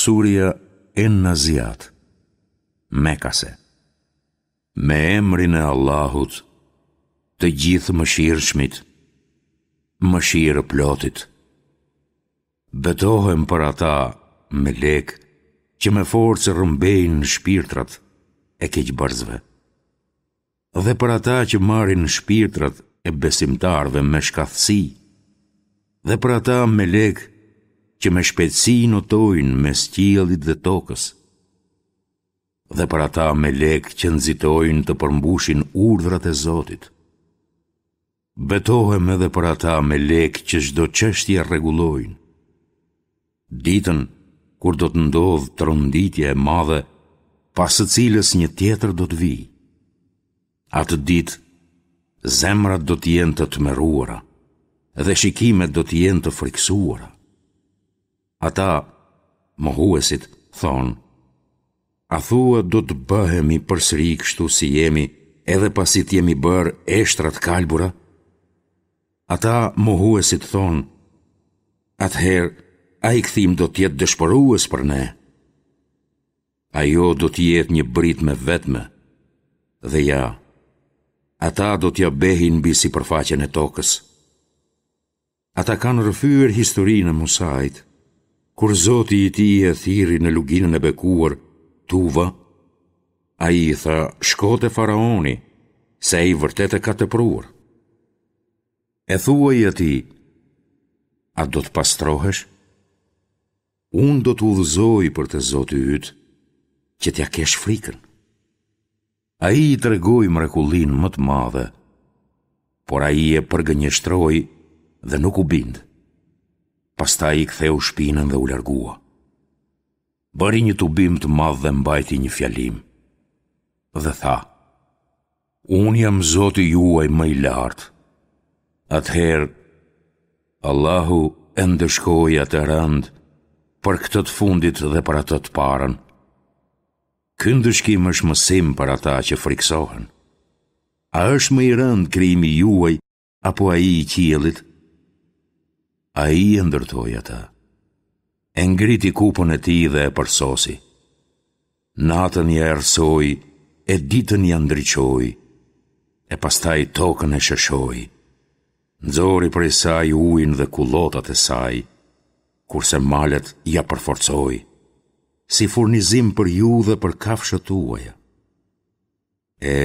Surja En-Naziat, Mekase. Me emrin e Allahut, të Gjithëmëshirshmit, Mëshirëplotit. Betohem për ata, melekë, që me forcë rrëmbejnë shpirtrat e keqbërësve. Dhe për ata që marrin shpirtrat e besimtarëve me shkathtësi, dhe për ata melekë që me shpejtësi notojnë mes qiellit dhe tokës, dhe për ata melekë që nxitojnë të përmbushin urdhrat e Zotit. Betohem edhe për ata melekë që çdo çështje rregullojnë. Ditën kur do të ndodhë tronditja e madhe, pas së cilës një tjetër do të vijë. Atë ditë, zemrat do të jenë të tmerruara dhe shikimet do të jenë të frikësuara. Ata, mohuesit, thonë, A thua do të bëhemi përsëri kështu si jemi edhe pasi të jemi bërë eshtra të kalbura? Ata mohuesit thonë, atëherë ai kthim do të jetë dëshpërues për ne. Ajo do të jetë një britmë e vetme, dhe ja, ata do t'ia behin mbi sipërfaqen e tokës. Ata kanë rrëfyer historinë e Musait, kur Zoti i tij e thirri në luginën e bekuar, Tuva, ai i tha, shko te faraoni, se ai vërtet e ka tepruar. E thuaj atij, a do të pastrohesh? Unë do të udhëzoj për te Zoti yt, që t'ia kesh frikën. Ai i tregoi mrekullinë më të madhe, por ai e përgënjeshtroi dhe nuk u bind. Pastaj i ktheu shpinën dhe u largua. Bëri një tubim të madh dhe mbajti një fjalim. Dhe tha, Unë jam Zoti juaj më i lartë. Atëherë, Allahu e ndëshkoi atë rëndë për këtë të fundit dhe për atë të parën. Ky ndëshkim është mësim për ata që frikësohen. A është më i rëndë krijimi juaj apo ai i qiellit? Ai e ndërtoi atë. E ngriti kupën e tij dhe e përsosi. Natën ia errësoi e ditën ia ndriçoi, e pastaj tokën e sheshoi. Nxori prej saj ujin dhe kullotat e saj, kurse malet ia përforcoi, si furnizim për ju dhe për kafshët tuaja. E,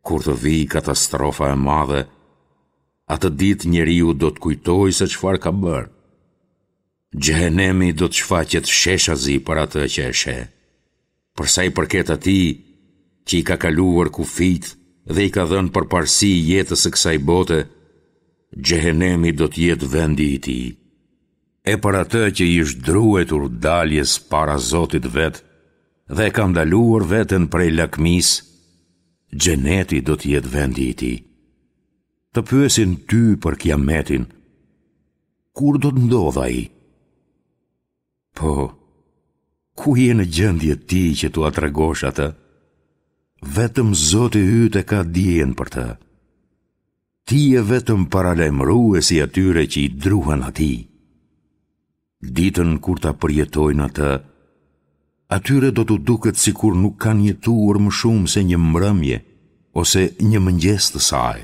kur të vijë katastrofa e madhe, atë ditë njeriu do të kujtojë se çfarë ka bërë. Xhehenemi do të shfaqet sheshazi për atë që e sheh. Për sa i përket atij që i ka kaluar kufijtë dhe i ka dhënë përparësi jetës së kësaj bote, Xhehenemi do të jetë vendi i tij. E për atë që i është druajtur daljes para Zotit të vet dhe e ka ndaluar veten prej lakmisë, Xheneti do të jetë vendi i tij. Të pyesin ty për Kiametin, kur do të ndodhë ai? Po, ku je në gjendje ti që t'ua tregosh atë? Vetëm Zoti yt e ka dijen për të. Ti je vetëm paralajmërues i atyre që i druhen atij. Ditën kur ta përjetojnë atë, atyre do t'u duket sikur nuk kanë jetuar më shumë se një mbrëmje ose një mëngjes të saj.